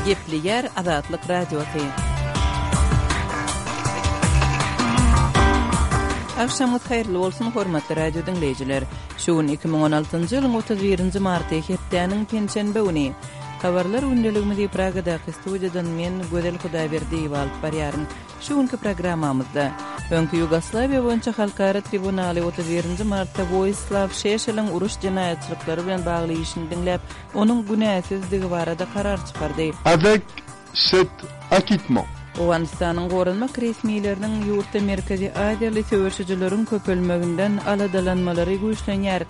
Gepleýär Azatlyk Radiosy. Agşamyňyz haýyrly bolsun, hormatly radio diňleýjiler! Şu gün 2016-njy ýylyň 31-nji marty, hepdäniň penşenbe güni. Habarlar gündeligimizi Pragadaky studiýadan men, Gözel Hudaýberdiýewa alyp barýaryn. Şu günki programmamyzda, Öňki Ýugoslawiýa boýunça halkara tribunaly 31-nji martda Woislaw Şeşeliň uruş jenaýatçylyklary bilen bagly işini diňläp, onuň günäsizdigi barada karar çykardy. Avec cet acquittement. Owganystanyň goranmak resmileriniň ýurtda merkezi aziýaly söweşijileriň köpelmeginden aladalanmalary güýçlenýär.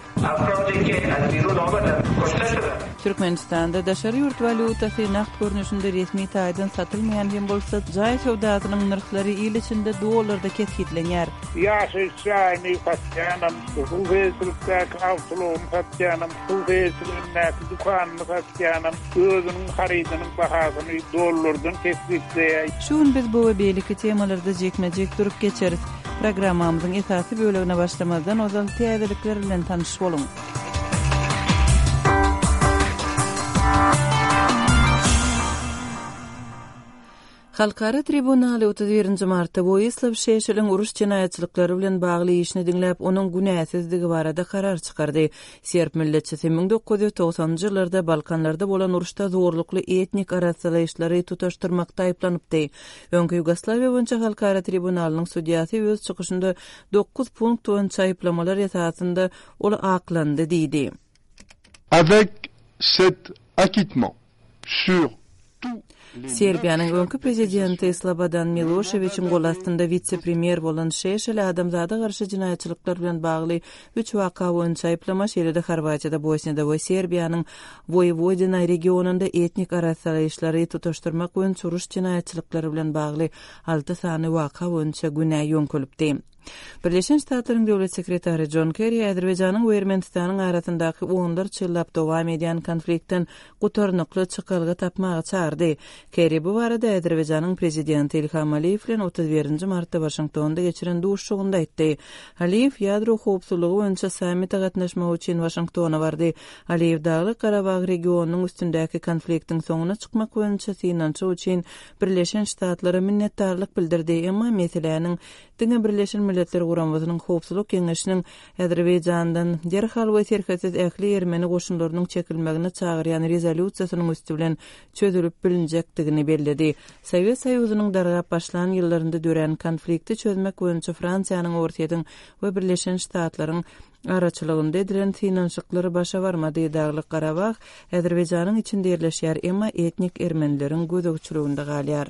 Türkmenistanda daşary ýurt walýutasy nagt görnüşinde resmi taýdan satylmaýan hem bolsa, jaý söwdasynyň nyrhlary il içinde dollarda kesgitlenýär. Ýaşaýyş jaýyny satýanam, hususy eýeçilikdäki awtoulagyny satýanam, hususy eýeçiligindäki dükanyny satýanam özüniň harydynyň bahasyny dollardan kesgitleýär. Şu gün biz bu we beýleki temalarda jikme-jik durup geçeris. Programmamyzyň esasy bölegine başlamazdan ozal täzelikler bilen tanyş boluň. Halkara tribunaly 31-nji martda Woislaw Şeşeliň uruş jenaýatçylyklary bilen bagly işini diňläp, onuň günäsizdigi barada karar çykardy. Serb milletçisi 1990-njy ýyllarda Balkanlarda bolan uruşda zorlukly etnik arassalaýyşlary tutaşdyrmakda aýyplanypdy. Öňki Ýugoslawiýa boýunça halkara tribunalynyň sudýasy öz çykyşynda dokuz punkt boýunça aýyplamalar esasynda ol aklandy diýdi. Avec cet acquittement sur tous les Serbiýanyň öňki prezidenti Slobodan Miloşewiçiň gol astynda witse-premýer bolan Şeşel adamzada garşy jenaýatçylyklar bilen bagly üç waka boýunça aýyplama, şeýle-de Horwatiýada, Bosniýada we Serbiýanyň Woýewodina regionynda etnik arassalaýyşlary tutaşdyrmak boýunça uruş jenaýatçylyklary bilen bagly alty sany waka boýunça günä ýöňkelipdi. Birleşen Ştatlaryň Döwlet sekretary Jon Kerri Azerbaýjanyň we Ermenistanyň arasyndaky onlarça ýyllap dowam edýän konfliktden gutarnykly çykalga tapmaga çagyrdy. Kerri bu barada Azerbaýjanyň prezidenti Ilham Aliýew bilen 31-nji martda Waşingtonda geçiren duşuşygynda aýtdy. Aliýew ýadro howpsuzlygy boýunça sammite gatnaşmak üçin Waşingtona bardy. Aliýew Daglyk-Garabag regionynyň üstündäki konfliktiň soňuna çykmak boýunça synanyşyk üçin Birleşen Ştatlara minnetdarlyk bildirdi, emma meseläniň diňe Birleşen Milletler Guramasynyň Howpsuzlyk Geňeşiniň Azerbaýjandan derhal we serhetsiz ähli ermeni goşunlarynyň çekilmegine çagyrýan rezolýusiýasynyň üsti bilen çözülip bilinjekdigini belledi. Sowet Soýuzynyň dargap başlan ýyllarynda dörän konflikti çözmek boýunça Fransiýanyň, Orsýetiň we Birleşen Ştatlaryň araçylygynda edilen synanyşyklar başa barmady. Daglyk Garabag Azerbaýjanyň içinde ýerleşýär, emma etnik ermenileriň gözegçiliginde galýar.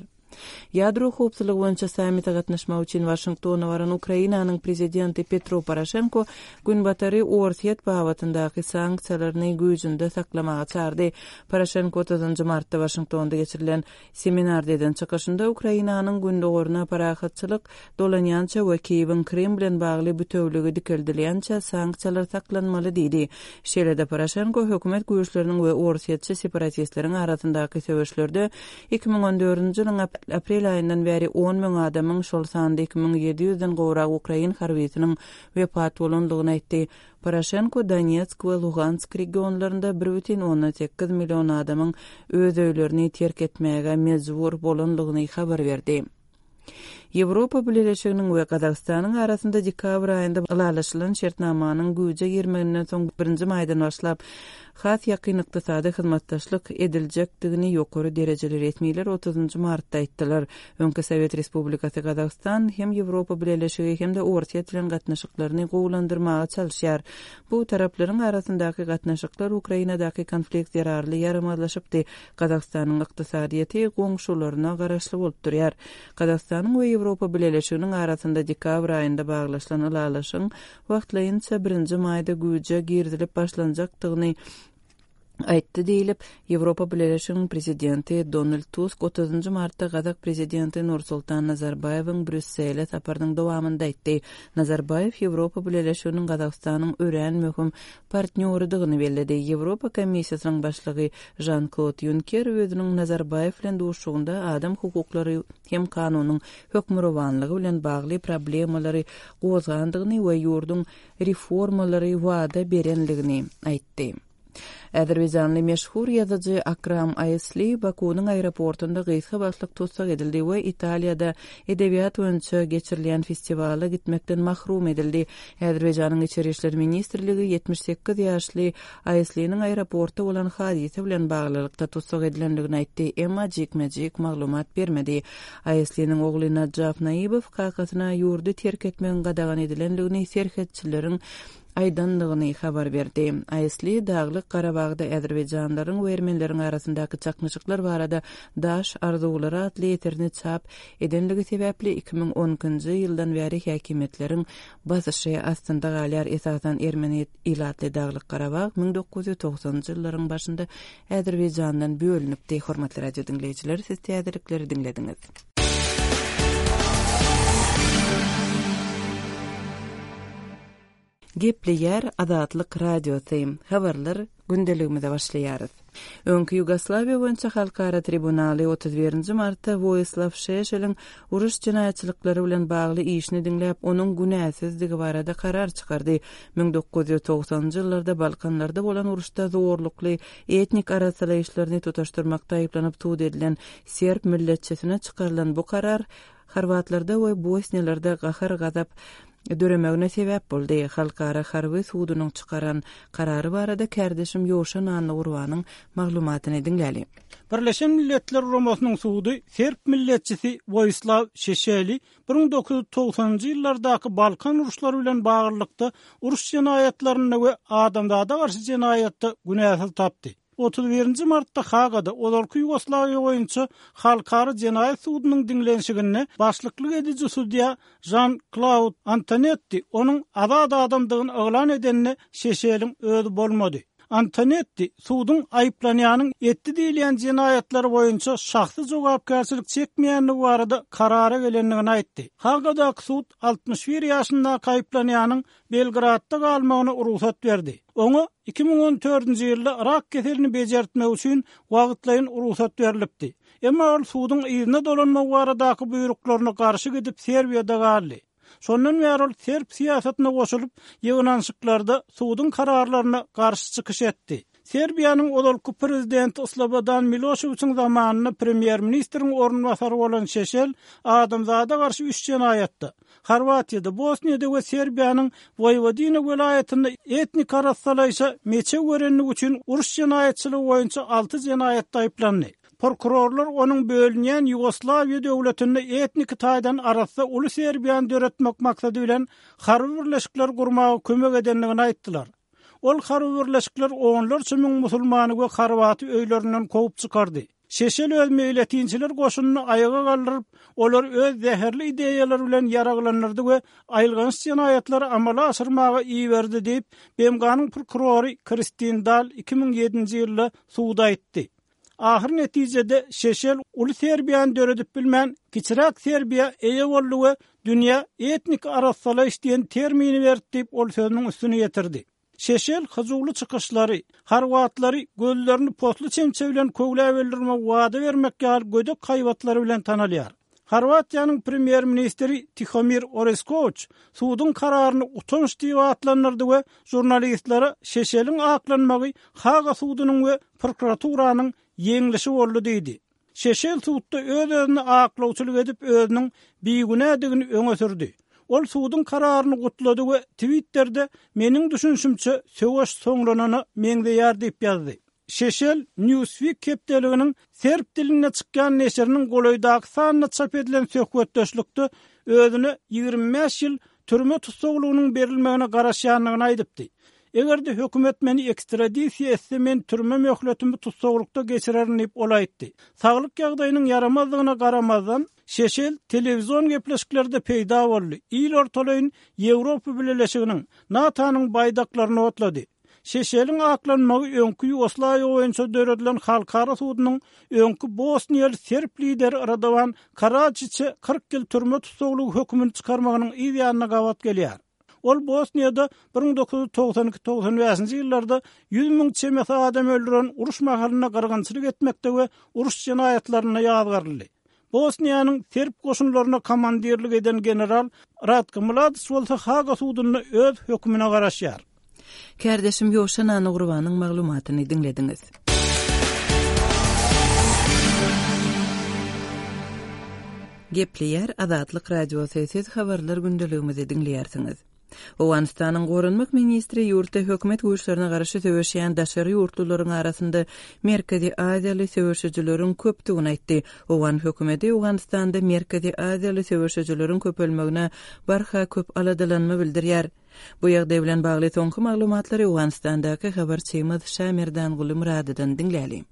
Ýadro howpsuzlygy boýunça sammite gatnaşmak üçin Waşingtona baran Ukrainanyň prezidenti Petro Poroşenko Günbatary Orsýet babatyndaky sanksiýalaryny güýjünde saklamaga çagyrdy. Poroşenko otuzynjy martda Waşingtonda geçirilen Seminarda eden çykyşynda Ukrainanyň gündogaryna parahatçylyk dolanýança we Kiýewiň Krym bilen bagly bütewligi dikeldilýänçä sanksiýalar saklanmaly diýdi. Şeýle-de Poroşenko hökümet güýçleriniň we orsýetçi separatistleriň arasyndaky söweşlerde 2014-nji ýylyň aprel aýyndan bäri on müň adamyň, şol sanda 2700-den gowrak ukrain harbysynyň wepat bolandygyny aýtdy. Poroşenko Donetsk we Lugansk regionlarynda 1,8 million adamyň öz öýlerini terk etmäge mejbur bolandygyny habar berdi. Ýewropa Bileleşiginiň we Gazagystanyň arasynda dekabr aýynda ylalaşylan şertnamanyň güýje girmeginden soň birinji maýdan başlap has ýakyn ykdysady hyzmatdaşlyk ediljekdigini ýokary derejeli resmiler otuzynjy martda aýtdylar. Öňki Sowet Respublikasy Gazagystan hem Ýewropa Bileleşigi hem-de Orsýet bilen gatnaşyklaryny gowulandyrmaga çalyşýar. Bu taraplaryň arasyndaky gatnaşyklar Ukrainadaky konflikt zerarly ýaramazlaşypdy. Gazagystanyň ykdysadyýeti goňşularyna garaşly bolup durýar. Gazagystanyň we Ýewropa Bileleşiginiň arasynda dekabr aýynda baglaşylan ylalaşygyň wagtlaýynça birinji maýda güýje girizilip başlanjakdygyny aýtdy diýlip, Ýewropa Bileleşiginiň Prezidenti Donald Tusk otuzynjy martda gazak Prezidenti Nursultan Nazarbaýewiň Brýussele saparynyň dowamynda aýtdy. Nazarbaýew Ýewropa Bileleşiginiň Gazagystanyň örän möhüm partnýorydygyny belledi. Ýewropa Komissiýasynyň başlygy Žan-Klod Ýunker özüniň Nazarbaýew bilen duşuşygynda adam hukuklary hem kanunyň hökmürowanlygy bilen bagly problemalary gozgandygyny we ýurduň reformalary wada berendigini aýtdy. Azerbaýjanly meşhur ýazyjy Akram Aýsli Bakunyň aeroportunda gysga wagtlyk tussag edildi we Italiýada edebiýat boýunça geçirilýän festiwala gitmekden mahrum edildi. Azerbaýjanyň Içeri işler ministrligi 78 ýaşly Aýsliniň aeroportda bolan hadysa bilen baglylykda tussag edilendigini aýtdy, emma jikme-jik maglumat bermedi. Aýsliniň ogly Najaf Naibow kakasyna ýurdy terk etmegiň gadagan edilendigini serhetçileriň aýdandygyny habar berdi. Aýsli Daglyk Garabagda azerbaýjanlaryň we ermenileriň arasyndaky çaknyşyklar barada Daş arzuwlary atly eserini çap edenligi sebäpli 2012-nji ýyldan bäri häkimiýetleriň basyşy astynda galýar. Esasan ermeni ilatly Daglyk Garabag 1990-njy ýyllaryň başynda Azerbaýjandan bölünipdi. Hormatly radio diňleýjiler, siz täzelikleri diňlediňiz. Gepleýär Azatlyk Radiosy, Habarlar gündeligimize başlaýarys. Öňki Ýugoslawiýa boýunça halkara tribunaly 31 nji martda Woýislaw Şeşeliň uruş jenaýatçylyklary bilen bagly işini diňläp, onuň günäsizdigi barada karar çykardy. 1990-njy ýyllarda Balkanlarda bolan uruşda zorlukly etnik arassalaýyşlaryny tutaşdyrmakda aýyplanyp sud edilen serb milletçisine çykarylan bu karar horwatlarda we bosniýalarda gahar-gazap döremegine sebäp boldy. Halkara harby sudunyň çykaran karary barada kärdeşim Ýowşan Annagurbanyň maglumatyny diňläli. Birleşen Milletler Guramasynyň sudy serb milletçisi Woýislaw Şeşeli 1990-njy ýyllardaky Balkan uruşlary bilen baglylykda uruş jenaýatlarynda we adamzada garşy jenaýatda günäsiz tapdy. 31-nji martda Hagada ozalky Ýugoslawiýa boýunça Halkara jenaýat sudunyň diňlenişiginde başlyklyk ediji sudýa Žan-Klaud Antonetti onuň azat adamdygyny yglan edende Şeşeliň özi bolmady. Antonetti suduň aýyplanýanyň etdi diýilýän jenaýatlary boýunça şahsy jogapkärçilik çekmeýändigi barada karara gelendigini aýtdy. Hagadaky sud 61 ýaşyndaky aýyplanýanyň Belgradda galmagyna rugsat berdi. Oňa 2014-nji ýylda rak keselini bejertmek üçin wagtlaýyn rugsat berlipdi. Emma ol suduň yzyna dolanmagy baradaky buýruklaryna garşy gidip Serbiýada galdy. Şondan bäri ol serb syýasatyna goşulyp, ýygnanyşyklarda suduň kararlaryna garşy çykyş etdi. Serbiýanyň ozalky prezidenti Slobodan Miloşewiçiň zamanynda premýer-ministriň orunbasary bolan Şeşel adamzada garşy üç jenaýatda, Horwatiýada, Bosniýada we Serbiýanyň Woýwodina welaýatynda etnik arassalaýşa meçew berenligi üçin uruş jenaýatçylygy boýunça alty jenaýatda aýyplandy. Prokurorlar onuň bölünýän Ýugoslawiýa döwletinde etniki taýdan arassa uly Serbiýany döretmek maksady bilen harby birleşikler gurmaga kömek edendigini aýtdylar. Ol harby birleşikler onlarça müň musulmany we horwaty öýlerinden kowup çykardy. Şeşel öz meýletinçiler goşunyny aýaga galdyryp, olary öz zäherli ideýalary bilen ýaraglandyrdy we aýylganç jenaýatlary amala aşyrmaga iberdi diýip, BMG-niň prokurory Kristin Dal 2007-nji ýylda suda aýtdy. Ahyr netijede Şeşel uly Serbiýany döredip bilmän, kiçiräk Serbiýa eýe boldy we dünýä etnik arassalaýyş diýen termini berdi diýip, ol sözüniň üstüni ýetirdi. Şeşel hyjuwly çykyşlary, horwatlary gözlerini posly çemçe bilen köwläp öldürmegi wada bermek ýaly gödek haýbatlary bilen tanalýar. Horwatiýanyň premýer-ministri Tihomir Oreskowiç suduň kararyny utanç diýip atlandyrdy we žurnalistlere Şeşeliň aklanmagy Haga sudunyň we prokuraturanyň ýeňlişi boldy diýdi. Şeşel sudda öz-özüne aklawçylyk edip özüniň bigünädigini öňe sürdi. Ol suduň kararyny gutlady we Twitterde meniň düşünişimçe söweş soňlanana meňzeýär diýip ýazdy. Şeşel Newsweek hepdeliginiň serb dilinde çykýan neşiriniň golaýdaky sanynda çap edilen söhbetdeşlikde özüne 25 ýyl türme tussaglygynyň berilmegine garaşýandygyny aýdypdy. Eger-de hökümet meni ekstradisiýa etse men türme möhletimi tussaglykda geçirerin diýip ol aýtdy. Saglyk ýagdaýynyň ýaramazdygyna garamazdan, Şeşel telewizion gepleşiklerde peýda boldy, il ortalaýyn Ýewropa Bileleşiginiň, NATO-nyň baýdaklaryny otlady. Şeşeliň aklanmagy öňki Ýugoslawiýa boýunça döredilen halkara sudunyň öňki bosniýaly serb lideri Radowan Karajiçe 40 ýyl türme tussaglygy hökümini çykarmagynyň yz ýanyna gabat gelýär. Ol Bosniýada 1992-95-nji ýyllarda 100 müň çemesi adam öldüren uruş mahalynda gyrgynçylyk etmekde we uruş jenaýatlarynda ýazgaryldy. Bosniýanyň serb goşunlaryna komandirlik eden general Ratko Mladiç bolsa Haga sudunda öz hökümine garaşýar. Kärdeşim Ýowşan Annagurbanyň maglumatyny diňlediňiz. Gepleýär Azatlyk Radiosy, siz habarlar gündeligimizi diňleýärsiňiz. Owganystanyň goranmak ministri ýurtda hökümet güýçlerine garşy söweşýän daşary ýurtlularyň arasynda Merkezi Aziýaly söweşijileriň köpdügini aýtdy. Owgan hökümeti Owganystanda Merkezi Aziýaly söweşijileriň köpelmegine barha köp aladalanma bildirýär. Bu ýagdaý bilen bagly soňky maglumatlary Owganystandaky habarçymyz Şamerdanguly Myradydan diňläliň.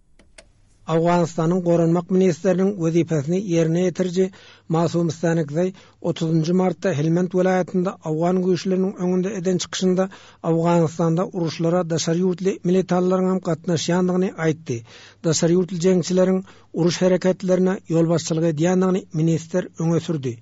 Owganystanyň goranmak ministriniň wezipesini ýerine ýetiriji Masum Stanikzaý otuzynjy martda Helmand welaýatynda owgan güýçleriniň öňünde eden çykyşynda Owganystanda uruşlara daşary ýurtly militanlaryňam gatnaşýandygyny aýtdy. Daşary ýurtly jeňçileriň uruş hereketlerine ýolbaşçylyk edýändigini ministr öňe sürdi.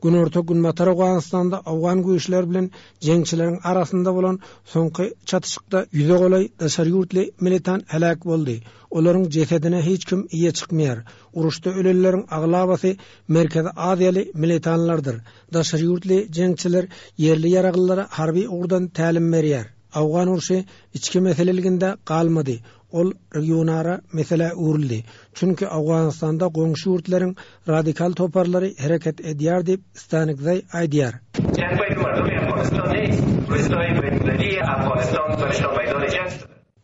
Günorta-günbatar Owganystanda owgan güýçleri bilen jeňçileriň arasynda bolan soňky çatyşykda ýüze golaý daşary ýurtly militant heläk boldy. Olaryň jesedine hiç kim eýe çykmaýar. Uruşda ölenleriň aglabasy Merkezi Aziýaly militanlardyr. Daşary ýurtly jeňçiler ýerli ýaraglylara harby ugurdan tälim berýär. Owgan urşy içki meseleliginde galmady, ol regionara meselä öwrüldi. Çünki Owganystanda goňşy ýurtlaryň radikal toparlary hereket edýär diýip, Stanikzaý aýdýar.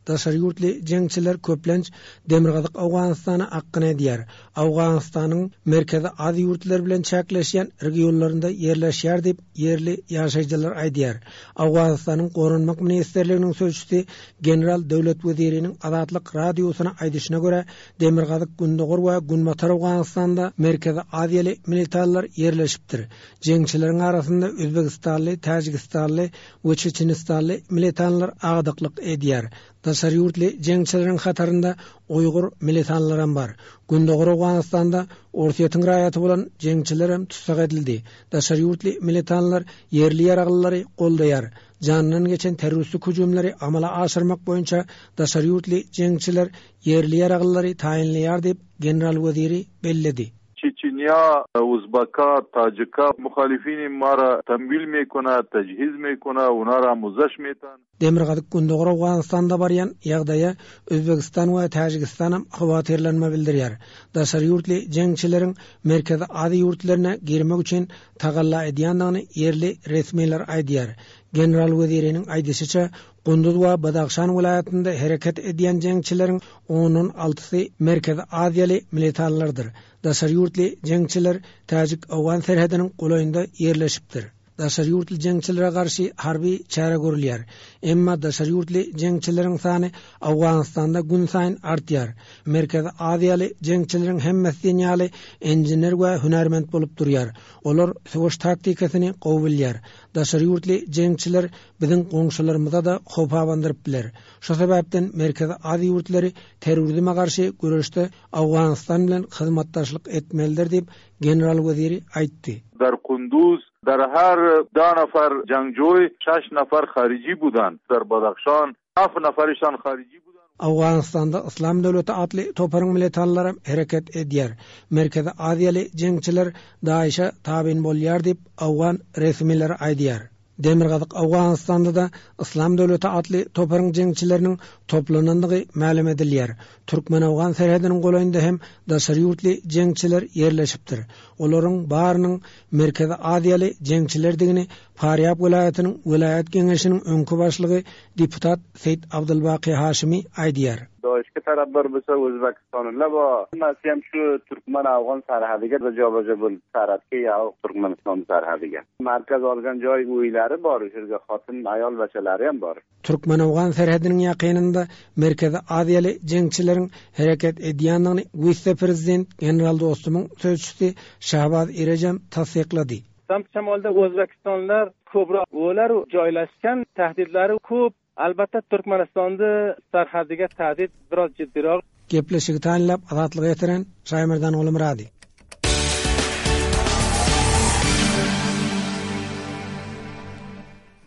Daşary ýurtly jeňçiler köplenç Demirgazyk Owganystana akgyn edýär. Owganystanyň Merkezi Aziýa ýurtlary bilen çäkleşýän regionlarynda ýerleşýär diýip, ýerli ýaşaýjylar aýdýar. Owganystanyň Goranmak ministrliginiň sözçüsi general Döwlet Weziriniň Azatlyk Radiosyna aýdyşyna görä, Demirgazyk, Gündogar we Günbatar Owganystanda Merkezi Aziýaly militanlar ýerleşipdir. Jeňçileriň arasynda özbegistanly, täjigistanly we çeçenistanly militanlar agdyklyk edýär. Daşary ýurtly jeňçileriň hatarynda uýgur militanlaram bar. Gündogar Owganystanda Orsýetiň raýaty bolan jeňçilerem tussag edildi. Daşary ýurtly militanlar ýerli ýaraglylary goldaýar. Janyndan geçen terroristik hüjümleri amala aşyrmak boýunça daşary ýurtly jeňçiler ýerli ýaraglylary taýynlaýar diýip, general Weziri belledi. Çeçenýa, Uzbaka, Tajika muhalifini mara tamwil mekona, tajhiz mekona, onara muzaş metan. Demirgazyk-Gündogar Owganystanda barýan ýagdaýa Özbegistan we Täjigistanam howatyrlanma bildirýär. Daşary ýurtly jeňçileriň Merkezi Aziýa ýurtlaryna girmek üçin tagalla edýändigini ýerli resmiler aýdýar. General Weziriniň aýdyşyça, Gunduz we Badahşan welaýatynda hereket edýän jeňçileriň ondan altysy Merkezi Aziýaly militanlardyr. Daşary ýurtly jeňçiler täjik-owgan serhediniň golaýynda ýerleşipdir. Daşary ýurtly jeňçilere garşy harby çäre görülýär. Emma daşary ýurtly jeňçileriň sany Owganystanda günsaýyn artýar. Merkezi Aziýaly jeňçileriň hemmesi diýen ýaly inžener we hünärment bolup durýar. Olar söweş taktikasyny gowy bilýär. Daşary ýurtly jeňçiler biziň goňşularymyza-da howp abandyryp biler. Şo sebäpden Merkezi Aziýa ýurtlary terrorizme garşy göreşde Owganystan bilen hyzmatdaşlyk etmelidir diýip, general Weziri aýtdy. Dar Kunduz dar her da nafar jangjoý şaş nafar hariji budan, dar Badahşan haf nafarişan hariji budan. Owganystanda Yslam döwleti atly toparyň militanlaram hereket edýär. Merkezi Aziýaly jeňçiler DAIŞ-e tabyn bolýar diýip, owgan resmileri aýdýar. Demirgazyk Owganystanda-da Yslam döwleti atly toparyň jeňçileriniň toplanandygy mälim edilýär. Türkmen-owgan serhediniň golaýynda hem daşary ýurtly jeňçiler ýerleşipdir. Olaryň barynyň Merkezi Aziýaly jeňçilerdigini Farýab welaýatynyň welaýat geňeşiniň öňki başlygy deputat Seýit Abdulbaky Haşymy aýdýar. Daişge tarapdor bolsa Özbekistanylar bar. Hemmesi hem şu türkmen-awgan serhediga joba-jo bolup serhetge ýa Türkmenistan serhediga. Markaz olgan joý uýlary bar, şu ýerde hatyn, aýal beçeleri hem bar. Türkmen-owgan serhediniň ýakynynda Merkezi Aziýaly jeňçileriň hereket edýändigini wise-prezident general Dostumyň sözçüsi Şahbaz Irejem tassyklady. Tam şamalda Özbekistanlylar köpräk olar joýlaşgan tahdidlari köp. Albatta Türkmenistanda sarhadiga tahdid biraz jiddiroq. Gepleşigi taýynlap Azatlyga ýetiren Şaýmerdan Gulumyrady.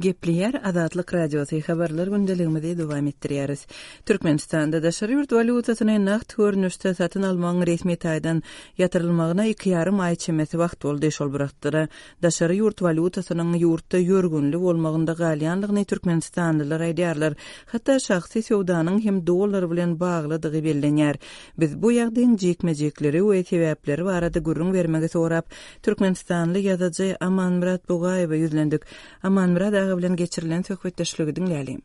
Gepleýär Azatlyk Radiosy, Habarlar gündeligimizi dowam etdirýäris. Türkmenistanda daşary ýurt walýutasyny nagt görnüşde satyn almagyň resmi taýdan ýatyrylmagyna iki ýarym aý çemesi wagt boldy. Şol bir wagtda-da, daşary ýurt walýutasynyň ýurtda ýörgünli bolmagynda galýandygyny türkmenistanlylar aýdýarlar. Hatda şahsy söwdanyň hem dollar bilen baglydygy bellenýär. Biz bu ýagdaýyň jikme-jikleri we sebäpleri barada gürrüň bermegi sorap, türkmenistanly ýazyjy Amanmyrat Bugaýewe ýüzlendik. Amanmyrat aga bilen geçirilen söhbetdeşligi diňläliň.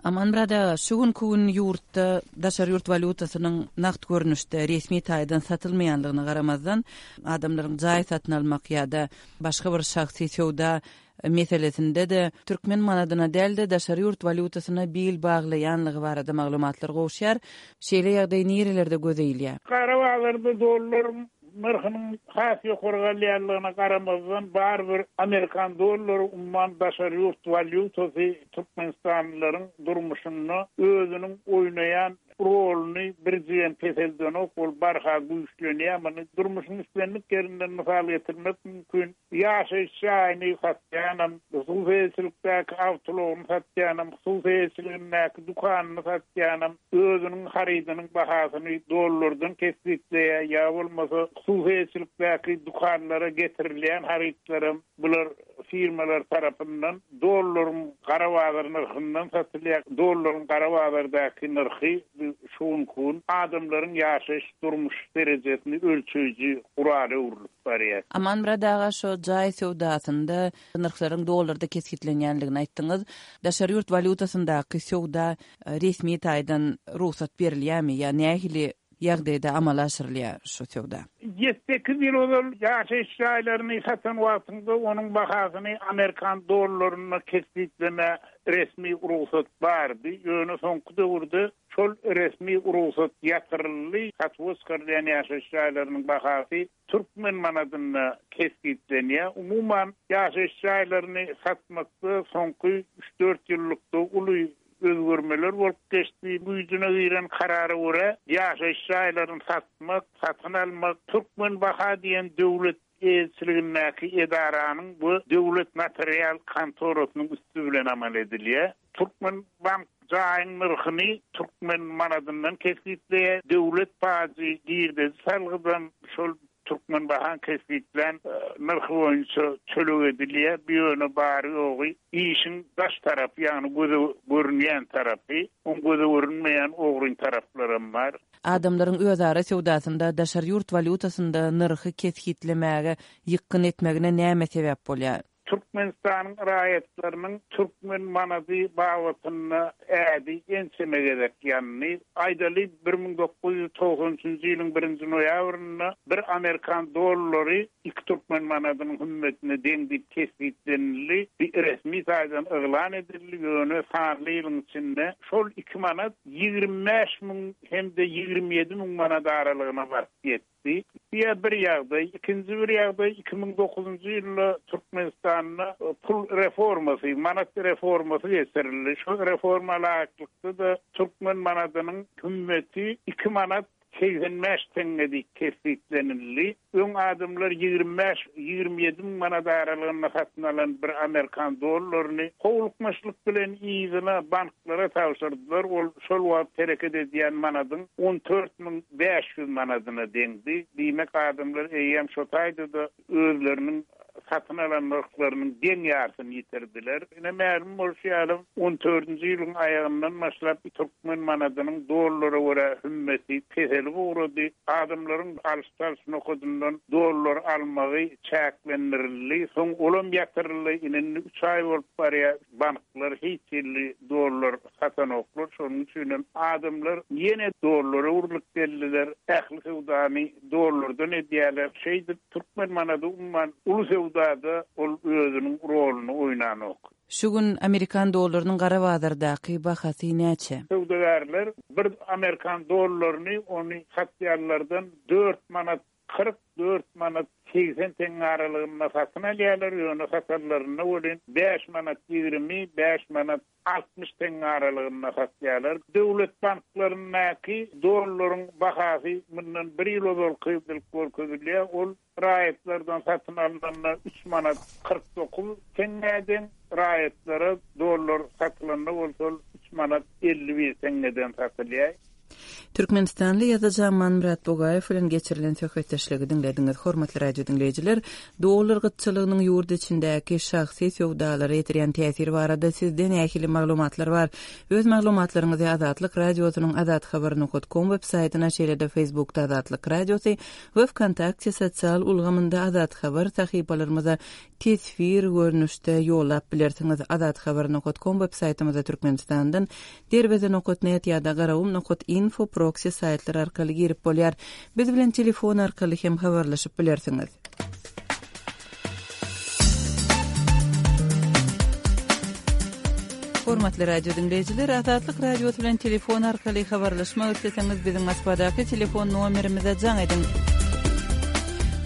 Amanmyrat aga, şu günki gün ýurtda daşary ýurt walýutasynyň nagt görnüşde resmi taýdan satylmaýanlygyna garamazdan, adamlaryň jaý satyn almak ýa-da başga bir şahsy söwda meselesinde-de türkmen manadyna däl-de, daşary ýurt walýutasyna bil baglaýanlygy barada maglumatlar gowuşýar. Şeýle ýagdaý nirelerde göze ilýär? Gara bazarda dollaryň nyrhynyň has ýokary galýanlygyna garamazdan, barybir amerikan dollary umuman daşary ýurt walýutasy türkmenistanlylaryň durmuşynda özüniň oýnaýan roluny birjigem peseldenok, ol barha güýçlenýär. Muny durmuşyň islendik ýerinden mysal getirmek mümkin. Ýaşaýyş jaýyny satýanam, hususy eýeçilikdäki awtoulagyny satýanam, hususy eýeçiligindäki dükanyny satýanam özüniň harydynyň bahasyny dollardan kesgitleýär, ýa bolmasa hususy eýeçilikdäki dükanlara getirilýän harytlaram bular firmalar tarapyndan dollaryň gara bazar nyrhyndan satylýar. Dollaryň gara bazardaky nyrhy şu günki gün adamlaryň ýaşaýyş durmuş derejesini ölçeýji gurala öwrülip barýar. Amanmyrat aga şo jaý söwdasynda nyrhlaryň dollarda kesgitlenýänligini aýtdyňyz. Daşary ýurt walýutasyndaky söwda resmi taýdan rugsat berilýärmi ýa nähili ýagdaýda amala aşyrylýar şu söwda? Ýedi-sekiz ýyl ozal ýaşaýyş jaýlaryny satan wagtyňda onuň bahasyny amerikan dollarynda kesgitlemä resmi rugsat bardy. Ýöne soňky döwürde şol resmi rugsat ýatyryldy. Satuwa çykarylýan ýaşaýyş jaýlarynyň bahasy türkmen manadynda kesgitlenýär. Umuman, ýaşaýyş jaýlaryny satmakda soňky üç-dört ýyllykda uly özgermeler bolup geçdi. Güýjüne giren karara görä, ýaşaýyş jaýlaryny satmak, satyn almak Türkmenbaha diýen döwlet eýeçiligindäki edaranyň we döwlet notarial kontorasynyň üsti bilen amal edilýär. Türkmenbank jaýyň nyrhyny türkmen manadyndan kesgitleýär. Döwlet pajy girdeji salgydam şol Türkmenbahaň kesgitlän nyrhy boýunça töleg edilýär. Bu ýöne bary-ýogy işiň daş tarapy, ýagny göze görünýän tarapy. Oň göze görünmeýän ogryn taraplaram bar. Adamlaryň özara söwdasynda daşary ýurt walýutasynda nyrhy kesgitlemäge ýykgyn etmegine näme sebäp bolýar? Türkmenistanyň raýatlarynyň türkmen manady babatynda ädi ençeme gezek ýandy. Aýdaly, 1993 nji ýylyň birinji noýabrynda bir amerikan dollary iki türkmen manadynyň hümmetine deň diýip kesgitlenildi. Bu resmi taýdan yglan edildi, ýöne sanly ýylyň içinde şol iki manat 25 müň hem-de 27 müň manat aralygyna baryp ýetdi. Diýip, bir ýagdaý. Ikinji bir ýagdaý, 2009-njy ýylda Türkmenistanda pul reformasy, manat reformasy geçirildi. Şol reforma laýyklykda-da türkmen manadynyň hümmeti iki manat 85 teňňe diýip kesgitlenildi. Öň adamlar 25, 27 müň manat aralygynda satyn alan bir amerikan dollaryny howlukmaçlyk bilen yzyna banklara tabşyrdylar. Ol şol wagt hereket edýän manadyň 14 1500 manadyna deňdi. Diýmek, adamlar eýýäm şo taýda-da özleriniň satyn alan nyrhlarynyň deň ýarsyny ýitirdiler. Ine, mälim bolşy ýaly, on dördünji ýylyň aýagyndan başlap türkmen manadynyň dollara görä hümmeti peselip ugrady. Adamlaryň alyş-çalyş nokadyndan dollar almagy çäklendirildi. Soň olam ýatyryldy. Ine, indi üç aý bolup barýar, banklar hiç hili dollar satanoklar. Şonuň üçinem adamlar ýene dollara öwrülip geldiler. Ähli söwdany dollardan edýärler. Şeýdip, türkmen manady umuman uly söwdada ol özüniň roluny oýnanok. Şu gün amerikan dollarynyň gara bazardaky bahasy näçe? Söwdagärler bir amerikan dollaryny ony satýanlardan dört manat 44 manat 80 teňňe aralygynda satyn alýarlar, ýöne satanlarynda welin bäş manat 20, bäş manat 60 teňňe aralygynda satýarlar. Döwlet banklaryndaky dollaryň bahasy mundan bir ýyl ozalky diýlip görkezilýär, ol raýatlardan satyn alnanda üç manat 49 teňňä deň. Raýatlara dollar satylanda bolsa ol üç manat 51 teňňeden satylýar. Türkmenistanly ýazyjy Amanmyrat Bugaýew bilen geçirilen söhbetdeşligi diňlediňiz. Hormatly radio diňleýjiler, dollar gytçylygynyň ýurt içindäki şahsy söwdalara ýetirýän täsiri barada sizde nähili maglumatlar bar? Öz maglumatlaryňyzy Azatlyk Radiosynyň azathabar nokat kom web saýtyna, şeýle-de Facebookda Azatlyk Radiosy we Wkontakte sosial ulgamynda Azathabar sahypalarymyza teswir görnüşde ýollap bilersiňiz. Azathabar nokat kom web saýtymyza Türkmenistandan Derweze nokat net ýa-da Garagum nokat info proksi saýtlary arkaly girip bolýar. Biz bilen telefon arkaly hem habarlaşyp bilersiňiz. Hormatly radio diňleýjiler, Azatlyk Radiosy bilen telefon arkaly habarlaşmak isleseňiz, biziň Moskwadaky telefon nomerimize jaň ediň.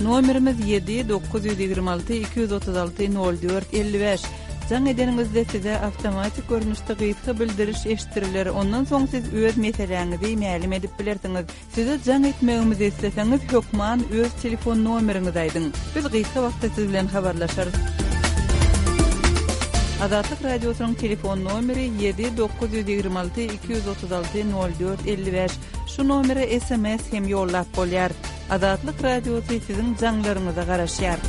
Nomerimiz 7 926 236 04 55. Jaň edeniňizde size awtomatik görnüşde gysga bildiriş eşitdiriler, ondan soň siz öz meseläňizi mälim edip bilersiňiz. Size jaň etmegimizi isleseňiz hökman öz telefon nomeriňizi aýdyň. Biz gysga wagtda siz bilen habarlaşarys. Azatlyk Radiosynyň telefon nomeri 7 926 236 04 55. Şu nomere sms hem ýollap bolýar. Azatlyk Radiosy siziň jaňlaryňyza garaşýar.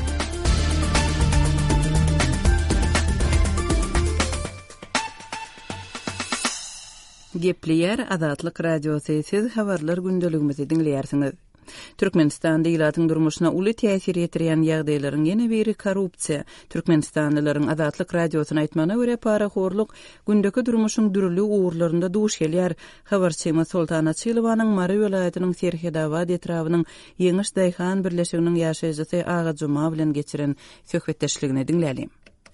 Gepleýär Azatlyk Radiosy, siz habarlar gündeligimizi diňleýärsiňiz. Türkmenistanda ilatyň durmuşyna uly täsir ýetirýän ýagdaýlaryň ýene biri korrupsiýa. Türkmenistanlylaryň Azatlyk Radiosyna aýtmagyna görä, parahorluk gündeki durmuşyň dürli ugurlarynda duş gelýär. Habarçymyz Soltan Açylowanyň Mary welaýatynyň Serhetabat etrabynyň Ýeňiş daýhan birleşiginiň ýaşaýjysy Aga Juma bilen geçiren söhbetdeşligini diňläliň.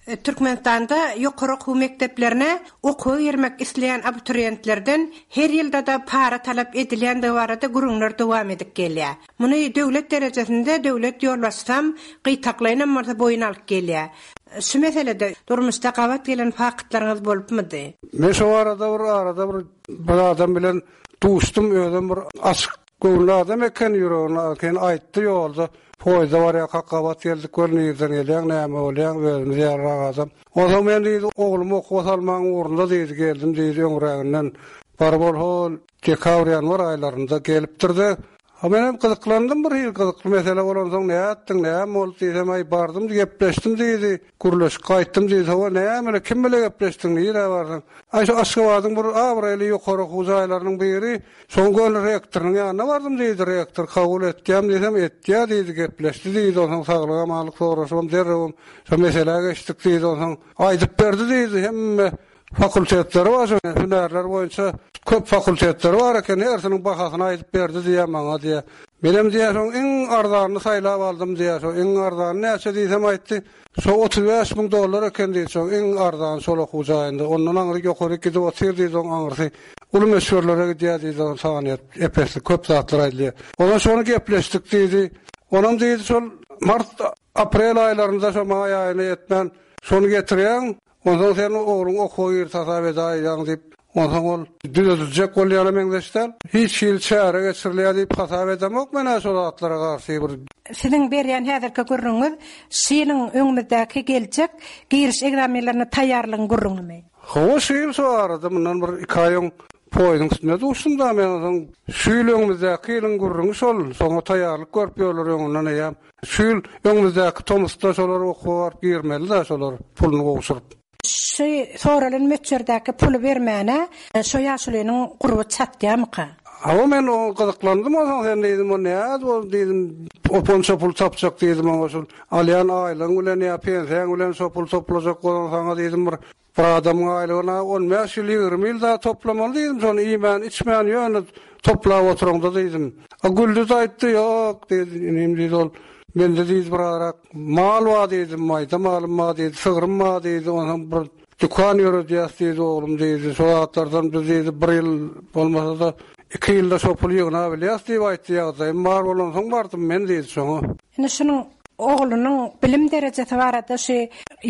Türkmenistanda ýokary okuw mekdeplerine okuwa girmek isleýän abituriýentlerden her ýylda-da para talap edilýändigi barada gürrüňler dowam edip gelýär. Muny döwlet derejesinde döwlet ýolbaşçysam gytaklaýynam bolsa boýun alyp gelýär. Şu meselede durmuşda gabat gelen faktlaryňyz bolupmydy? Men şo barada bir arada bir bir adam bilen duşdum, özem bir açyk göwünli adam eken, ýüregini eken aýtdy ýolda, poýezde barýarkak gabat geldik, gör nirden gelýäň, näme bolýaň, özümiz ýalyrak adam. Onsoň men diýdi, oglumy okuwa salmagyň ugrunda diýdi, geldim diýdi, öňräginden baryp ol hol dekabr-ýanwar aýlarynda gelipdir-de, A menem gyzyklandym bir hili gyzykly mesele bolansoň nätdiň, näme boldy diýsem, aý bardym gepleşdim diýdi, gürleşip gaýtdym diýdi, hawa näme bile, kim bile gepleşdiň, nirä bardyň? Aý şu Aşgabadyň bir abraýly ýokary okuw jaýlarynyň biri, şoň göni rektorynyň ýanyna bardym diýdi, rektor kabul etýämi diýsem, etýä diýdi, gepleşdi diýdi, onsoň saglyk-amanlyk soraşybam derrewem şo meselä geçdik diýdi, onsoň aýdyp berdi diýdi, hemme Fakultetleri bar şo hünärler boýunça köp fakultetleri bar eken hersiniň bahasyny aýdyp berdi diýýär maňa diýýär. Menem diýýär şoň iň arzanyny saýlap aldym diýýär şo iň arzany näçe diýsem aýtdy şo 35 müň dollar eken diýdi şoň iň arzany şol okuw jaýynda ondan aňry ýokaryk gidip otyr diýdi oň aňyrsy uly möçberlere gidýär diýdi oň sany ep-esli köp zatlar aýdylýar. Ondan şony gepleşdik diýdi. Onam diýdi şol mart aprel aýlarynda şo maý aýyna ýetmän şony getirýäň Onsoň sen ogluň okuwa girdi hasap edäýýäň diýip, onsoň ol düzediljek bolýana meňzeş däl. Hiç hili çäre geçirilýär diýip hasap edemok men-ä şo zatlara garşy bir. Siziň berýän häzirki gürrüňiňiz şu ýylyň öňümizdäki geljek giriş ekzamenlerine taýýarlygyň gürrüňimi? Hawa şu ýyl şu arada mundan bir iki aý öň poýeziň üstünde duşdum-da men onsoň şu ýyl öňümizdäki ýylyň gürrüňi şol, şoňa taýýarlyk görüp ýörler öňünden eýýäm. Şu ýyl öňümizdäki tomusda şolar okuwa baryp girmeli-dä şolar puluny gowşuryp. Şu soralan möçberdäki puly bermäne şo ýaşulynyň gurby çatýamyka? Hawa men oňa gyzyklandym onsoň sen diýdim o nädip ol diýdim oponça pul tapjak diýdim oňa şul alýan aýlygyň bilen ýa pensiýaň bilen şo pul toplajak bolan saňa diýdim bir Bir adamyň aýlygyna on bäş ýyl, 20 ýyl zat toplamaly diýdim, şony iýmän, içmän ýöne toplap oturaňda diýdim. A Güldüz aýtdy, ýok diýdi, inim diýdi ol, mende diýdi birarak mal bar diýdi, maýda malym bar diýdi, sygrym bar diýdi, onsoň bir dükan ýöredýäs diýdi oglum diýdi, şo zatlardan biz diýdi bir ýyl bolmasa-da iki ýylda şo puly ýygnabilýäs diýip aýtdy, ýagdaýym bar bolansoň bardym men diýdi şoňa. Indi şunuň oglunyň bilim derejesi barada şu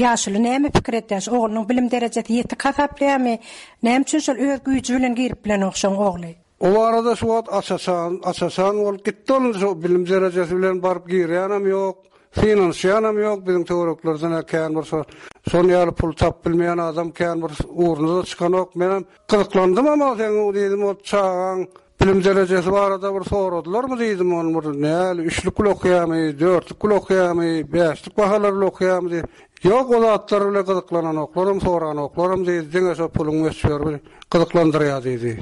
ýaşuly näme pikir edýär? Şu oglunyň bilim derejesi ýetik hasaplaýarmy? Näme üçin şol öz güýji bilen girip bilenok şoň ogly? O barada şu wagt aç-açan, aç-açan bolup gitdi ol indi şo bilim derejesi bilen baryp girýänem ýok. Synanyşýanam ýok, biziň töwereklerden-ä kän bir şo şon ýaly pul tapyp bilmeýän adam kän bir ugruna-da çykanok. Menem gyzyklandymam o seň diýdim, o çagaň bilim derejesi barada bir soradylarmy diýdim, ony bir näli üçlük bile okaýarmy, dörtlük bile okaýarmy, bäşlik bahalar bile okaýarmy diýip. Ýok, o zatlar bile gyzyklananoklaram, soranoklaram diýdi, diňe şo puluň möçberi gyzyklandyrýar diýdi.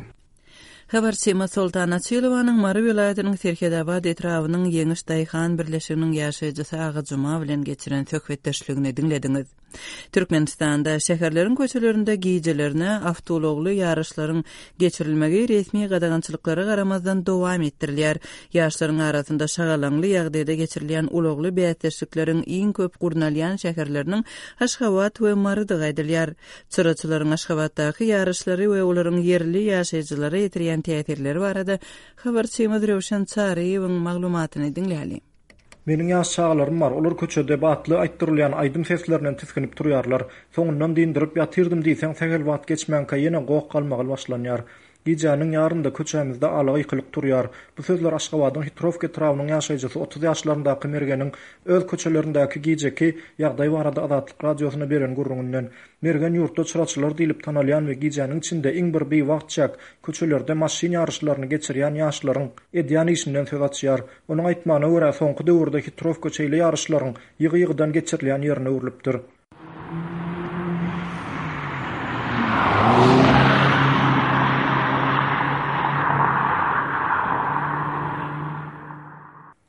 Habarçymyz Soltan Açylowanyň Mary welaýatynyň Serhetabat etrabynyň Ýeňiş daýhan birleşiginiň ýaşaýjysy Aga Juma bilen geçiren söhbetdeşligini diňlediňiz. Türkmenistanda şäherleriň köçelerinde gijelerine awtoulagly ýaryşlaryň geçirilmegi resmi gadagançylyklara garamazdan dowam etdirilýär. Ýaşlaryň arasynda şagalaňly ýagdaýda geçirilýän ulagly bäsdeşlikleriň iň köp gurnalýan şäherleriniň Aşgabat we Marydygy aýdylýar. Çyraçylaryň Aşgabatdaky ýaryşlary we olaryň ýerli ýaşaýjylara ýetirýän täsirleri barada habarçymyz Röwşen Çaryýewiň maglumatyny diňläliň. Meniň ýaş çagalarym bar, olar köçede batly aýtdyrylýan aýdym seslerinden tisginip turýarlar. Soňundan dyndyryp ýatyrdym diýseň, sähel wagt geçmänkä ýene goh-galmagal başlanýar. Gijäniň ýarynda köçämizde ala gykylyk turýar. Bu sözler Aşgabadyň Hitrowka etrabynyň ýaşaýjysy 30 ýaşlaryndaky Mergeniň öz köçelerindäki gijeki ýagdaý barada Azatlyk Radiosyna beren gürrüňinden. Mergen ýurtda çyraçylar diýlip tanalýan we gijäniň içinde iň bir biwagt çäk köçelerde maşyn ýaryşlaryny geçirýän ýaşlaryň edýän işinden söz açýar. Onuň aýtmagyna görä, soňky döwürde Hitrowka şeýle ýaryşlaryň ýygy-ýygydan geçirilýän ýerine öwrülipdir.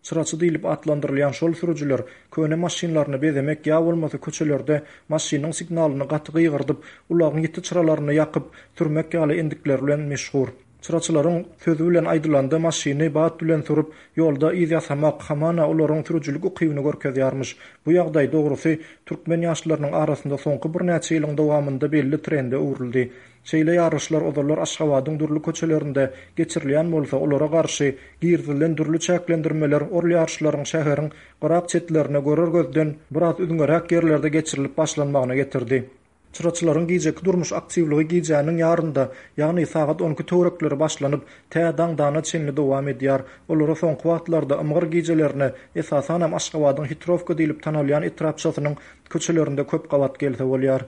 Çyraçy diýlip atlandyrylýan şol sürüjiler köne maşynlaryny bezemek ýa bolmasa köçelerde maşynyň signalyny gaty gygyrdyp, ulagyň ýiti çyralaryny ýakyp sürmek ýaly endikleri bilen meşhur. Çyraçylaryň sözi bilen aýdylanda maşyny bat bilen sürüp, ýolda yz ýasamak, hamana olaryň sürüjilik ukybyny görkezýärmiş. Bu ýagdaý, dogrusy, türkmen ýaşlarynyň arasynda soňky birnäçe ýylyň dowamynda belli trende öwrüldi. Şeýle ýaryşlar ozallar Aşgabadyň dürli köçelerinde geçirilýän bolsa, olara garşy girizilen dürli çäklendirmeler ol ýaryşlaryň şäheriň gyrak-çetlerine görer gözden biraz üzňeräk ýerlerde geçirilip başlanmagyna getirdi. Çyraçylaryň gijeki durmuş aktiwligi gijäniň ýarynda, ýagny sagat on iki töwerekleri başlanyp, tä daňdana çenli dowam edýär. Olara soňky wagtlarda ymgyr gijelerine, esasanam Aşgabadyň Hitrowka diýlip tanalýan etrapçasynyň köçelerinde köp gabat gelse bolýar.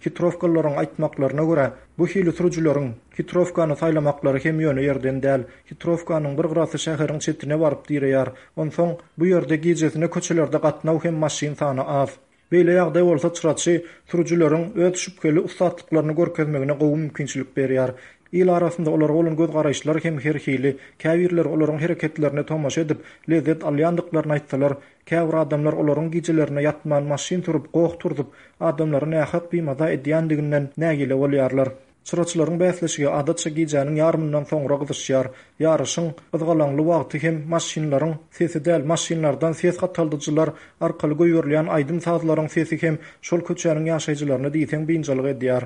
Hitrowkalylaryň aýtmaklaryna görä, bu hili sürüjileriň Hitrowkany saýlamaklary hem ýöne ýerden däl. Hitrowkanyň bir gyrasy şäheriň çetine baryp direýär. Onsoň, bu ýerde gijesine köçelerde gatnaw hem maşyn sany az. Beýle ýagdaý bolsa çyraçy sürüjileriň öz şübheli ussatlyklaryny görkezmegine gowy mümkinçilik berýär. Il arasynda olara bolan göz-garaýyşlar hem her hili. Käbirleri olaryň hereketlerine tomaşa edip, lezzet alýandyklaryny aýtsalar, käbir adamlar olaryň gijelerine ýatman maşyn sürüp, goh turzup, adamlary nähak bimaza edýändiginden nägile bolýarlar. Çyraçylaryň bäsleşigi adatça gijäniň ýarymyndan soňra gyzyşýar. Ýaryşyň gyzgalaňly wagty hem maşynlaryň sesi däl, maşynlardan ses gataldyjylar arkaly goýberilýän aýdym-sazlaryň sesi hem şol köçäniň ýaşaýjylaryny diýseň biynjalyk edýär.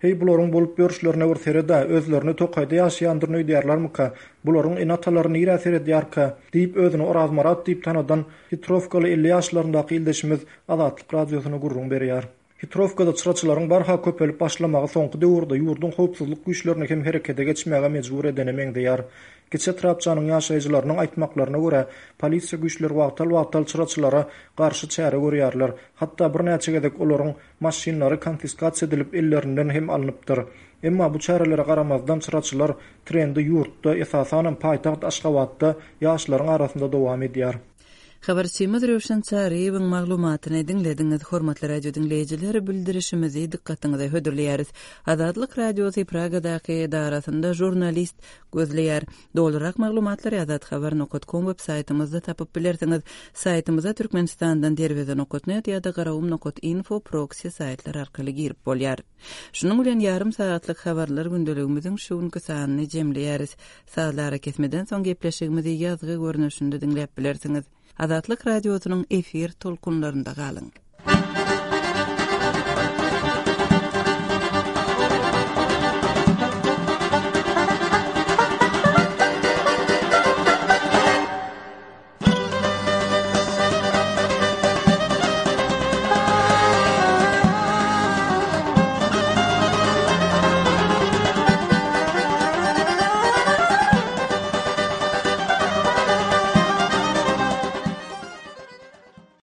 Heý, bularyň bolup ýörüşlerine bir sered-ä, özlerini tokaýda ýaşaýandyryn öýdýärlermika? Bularyň ene-atalary nirä seredýärkä? diýip, özüni Orazmyrat diýip tanadan hitrowkaly 50 ýaşlaryndaky ildeşimiz Azatlyk Radiosyna gürrüň berýär. Hitrowkada çyraçylaryň barha köpelip başlamagy soňky döwürde ýurduň howpsuzlyk güýçlerini hem herekete geçmäge mejbur edene meňzeýär. Kiçi etrapçanyň ýaşaýjylarynyň aýtmaklaryna görä, polisiýa güýçleri wagtal-wagtal çyraçylara garşy çäre görýärler. Hatda birnäçe gezek olaryň Maşynlary konfiskasiýa edilip ellerinden hem alnypdyr. Emma bu çärelere garamazdan çyraçylar trendi ýurtda, esasanam paýtagt Aşgabatda ýaşlaryň arasynda dowam edýär. Habarçymyz Röwşen Çaryýewiň maglumatyny diňlediňiz. Hormatly radio diňleýjiler, bildirişimizi dykgatyňyza hödürleýäris. Azatlyk Radiosy Pragadaky edarasynda žurnalist gözleýär. Dolurak maglumatlary azathabar nokat kom web saýtymyzda tapyp bilersiňiz. Saýtymyza Türkmenistandan derweze nokat net ýa-da garawum nokat info proksi saýtlary arkaly girip bolýar. Şunuň bilen ýarym sagatlyk habarlar gündeligimiziň şu günki sanyny jemleýäris. Sazly arakesmeden soň gepleşigimizi ýazgy görnüşinde diňläp bilersiňiz. Azatlyk Radiosynyň efir tolkunlarynda galyň.